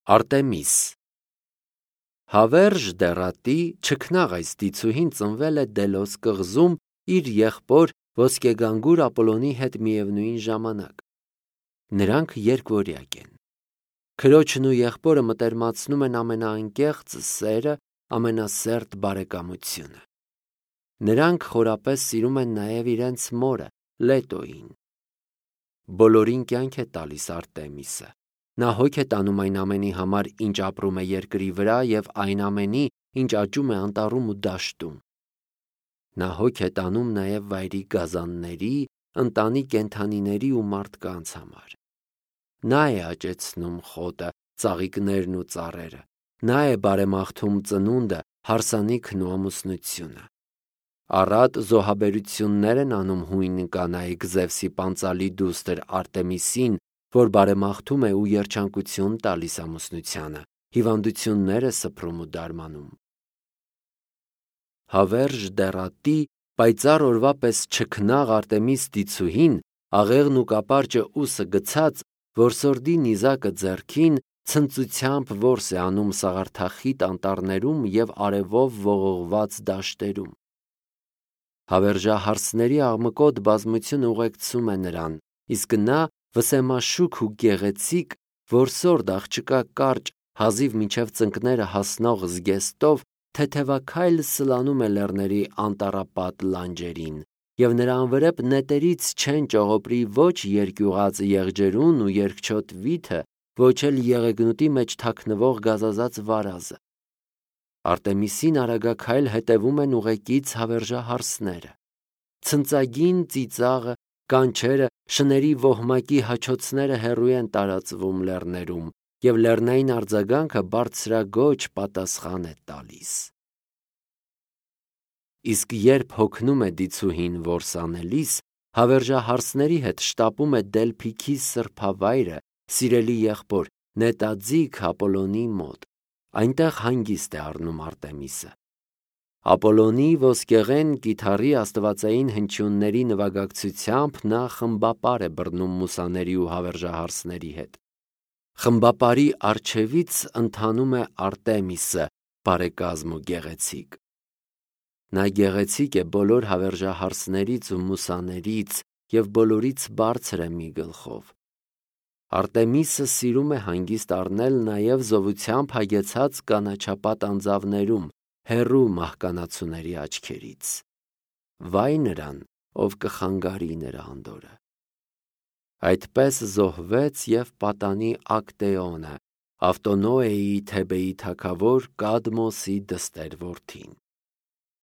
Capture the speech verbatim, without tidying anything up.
Արտեմիս Հավերժ դեռատի չքնաղ այս դիցուհին ծնվել է Դելոս կղզում իր եղբոր ոսկեգանգուր Ապոլոնի հետ միևնույն ժամանակ։ Նրանք երկվորյակ են։ Քրոջն ու եղբորը մտերմացնում են ամենաանկեղծ սերը, ամենասերտ բարեկամությունը։ Նրանք խորապես սիրում են նաև իրենց մորը՝ Լետոյին։ Բոլորին կյանք է տալիս Արտեմիսը։ Նա հոգ է տանում այն ամենի համար, ինչ ապրում է երկրի վրա, և այն ամենի, ինչ աճում է անտառում ու դաշտում։ Նա հոգ է տանում նաև վայրի գազանների, ընտանի կենդանիների ու մարդկանց համար։ Նա է աճեցնում խոտը, ծաղիկներն ու ծառերը։ Նա է բարեմաղթում ծնունդը, հարսանիքն ու ամուսնությունը։ Առատ զոհաբերություններ են անում հույն կանայք Զևսի պանծալի դուստր Արտեմիսին, որ բարեմաղթում է ու երջանկություն տալիս ամուսնությանը, հիվանդություններ է սփռում ու դարմանում։ Հավերժ դեռատի, պայծառ օրվա պես չքնաղ Արտեմիս դիցուհին, աղեղն ու կապարճը ուսը գցած, որսորդի նիզակը ձեռքին, ցնծությամբ որս է անում սաղարթախիտ անտառներում և արևով ողողված դաշտերում։ Հավերժահարսների աղմկոտ բազմությունը ուղեկցում է նրան, իսկ նա վսեմաշուք ու գեղեցիկ, որսորդ աղջկա կարճ, հազիվ մինչև ծնկները հասնող զգեստով թեթևաքայլ սլանում է լեռների անտառապատ լանջերին, և նրա անվրեպ նետերից չեն ճողոպրի ոչ երկյուղած եղջերուն ու երկչոտ վիթը, ոչ էլ եղեգնուտի մեջ թաքնվող գազազած վարազը։ Արտեմիսին արագաքայլ հետևում են ուղեկից հավերժահարսները։ Ցնծագին ծիծաղը, կանչերը, շների ոհմակի հաչոցները հեռու են տարածվում լեռներում, և լեռնային արձագանքը բարձրագոչ պատասխան է տալիս։ Իսկ երբ հոգնում է դիցուհին որս անելիս, հավերժահարսների հետ շտապում է Դելփիքի սրբավայրը, սիրելի եղբոր, նետաձիգ Ապոլոնի մոտ։ Այնտեղ հանգիստ է առնում Արտեմիսը։ Ապոլոնի ոսկեղեն կիթառի աստվածային հնչյունների նվագակցությամբ նա խմբապար է բռնում մուսաների ու հավերժահարսների հետ։ Խմբապարի առջևից ընթանում է Արտեմիսը, բարեկազմ ու գեղեցիկ։ Նա գեղեցիկ է բոլոր հավերժահարսներից ու մուսաներից և բոլորից բարձր է մի գլխով։ Արտեմիսը սիրում է հանգիստ առնել նաև զովությամբ հագեցած կանաչապատ անձավներում, հեռու մահկանացուների աչքերից։ Վայ նրան, ով կխանգարի նրա անդորրը։ Այդպես զոհվեց և պատանի Ակտեոնը, Ավտոնոեի Թեբեի թագավոր Կադմոսի դստեր որդին։